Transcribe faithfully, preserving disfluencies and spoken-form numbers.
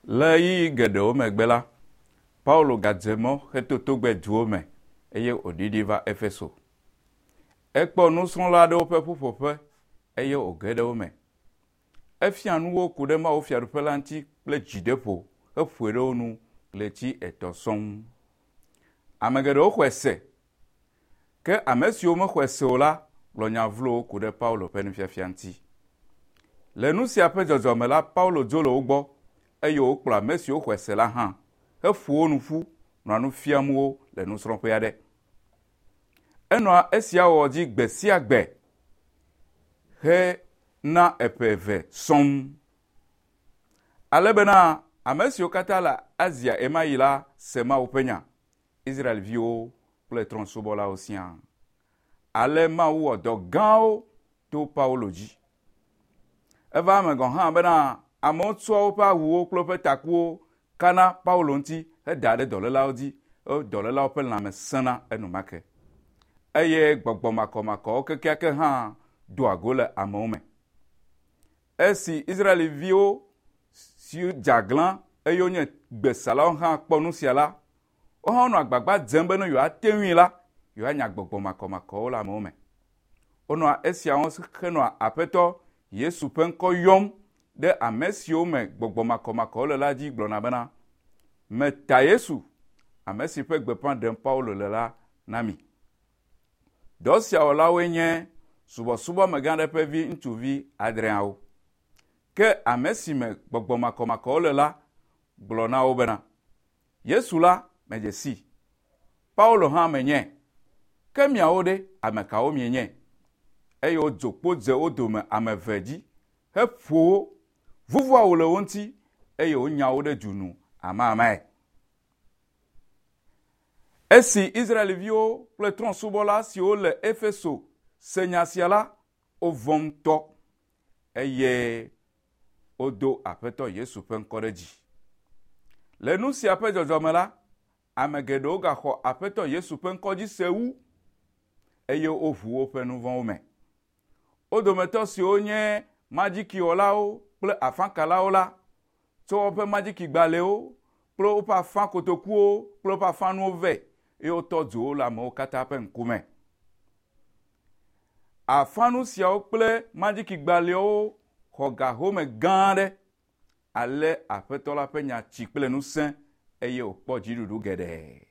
Le ɣeyiɣi geɖewo megbe la, Paulo gadze mɔ heto togbɛ duwo me eye wòɖiɖi va Efeso. Ekpɔ nusrɔ̃la aɖewo ƒe ƒuƒoƒe eye wòge ɖe wo me. Efia nu wo ku ɖe Mawu fiaɖuƒe la ŋuti kple dzideƒo heƒoe ɖe wo nu ɣleti etɔ̃ sɔŋ. Ame geɖewo xɔe se ke ame siwo mexɔe se o la gblɔ nya vlowo ku ɖe Paulo ƒe nufiafia ŋuti. Le nu sia ƒe dzɔdzɔme la, Paulo dzo le wo gbɔ eye wòkplɔ ame siwo xɔe se la hã heƒo wo nu ƒu nɔa nu fiam wo le nusrɔ̃ƒe aɖe. Enɔa esia wɔwɔ dzi gbe sia gbe hena eƒe eve sɔŋ. Ale bena ame siwo katã le Asia ɣemaɣi la se Mawu ƒe nya, Israelviwo kple trɔ̃subɔlawo siaa. Ale Mawu wɔ dɔ gãwo to Paulo dzi. Eva eme gɔ̃ hã bena amewo tsɔa woƒe awuwo kple woƒe takuwo kana Paulo ŋuti heda ɖe dɔlélawo dzi eye dɔlélawo ƒe lãme sẽna enumake. Eye gbɔgbɔ makɔmakɔwo kekeake hã doa go le amewo me. Esi Israelviwo siwo dze aglã eye wonye gbesalawo hã kpɔ nu sia la, wo hã wonɔ agbagba dzem be ne yewoate ŋui la, yewoanya gbɔgbɔ makɔmakɔwo le amewo me. Wonɔa esiawo henɔa Aƒetɔ Yesu ƒe ŋkɔ yɔm ɖe ame siwo me gbɔgbɔ makɔmakɔwo le la dzi gblɔna bena, meta Yesu, ame si ƒe gbeƒã ɖem Paulo le la na mi. Dɔ sia wɔlawoe nye subɔsubɔmegã aɖe ƒe vi ŋutsuvi adreawo. Ke ame si me gbɔgbɔ makɔmakɔwo le la gblɔ na wo bena, Yesu la medze sii, Paulo hã menyae, ke miawo ɖe ame kawo mienye? Eye wodzo kpo dze wo dome ame eve dzi heƒo wo, vuvu awu le wo ŋuti eye wonya wo ɖe du nu amamae. Esi Israelviwo kple trɔ̃subɔla siwo le Efeso se nya sia la, wovɔ̃ ŋutɔ eye wodo Aƒetɔ Yesu ƒe ŋkɔ ɖe dzi. Le nu sia ƒe dzɔdzɔme la, ame geɖewo gaxɔ Aƒetɔ Yesu ƒe ŋkɔ dzi se wu eye woʋu woƒe nu vɔ̃wo me. Wo dometɔ siwo nye madzikiwɔlawo kple afakalawo la tsɔ woƒe madzikigbalẽwo kple woƒe afakotokuwo kple woƒe afanuwo vɛ eye wotɔ dzo wo le amewo katã ƒe ŋkume. Afanu siawo kple madzikigbalẽwo xɔ ga home gã aɖe. Ale Aƒetɔ la ƒe nya tsi kple ŋusẽ eye wòkpɔ dziɖuɖu geɖe.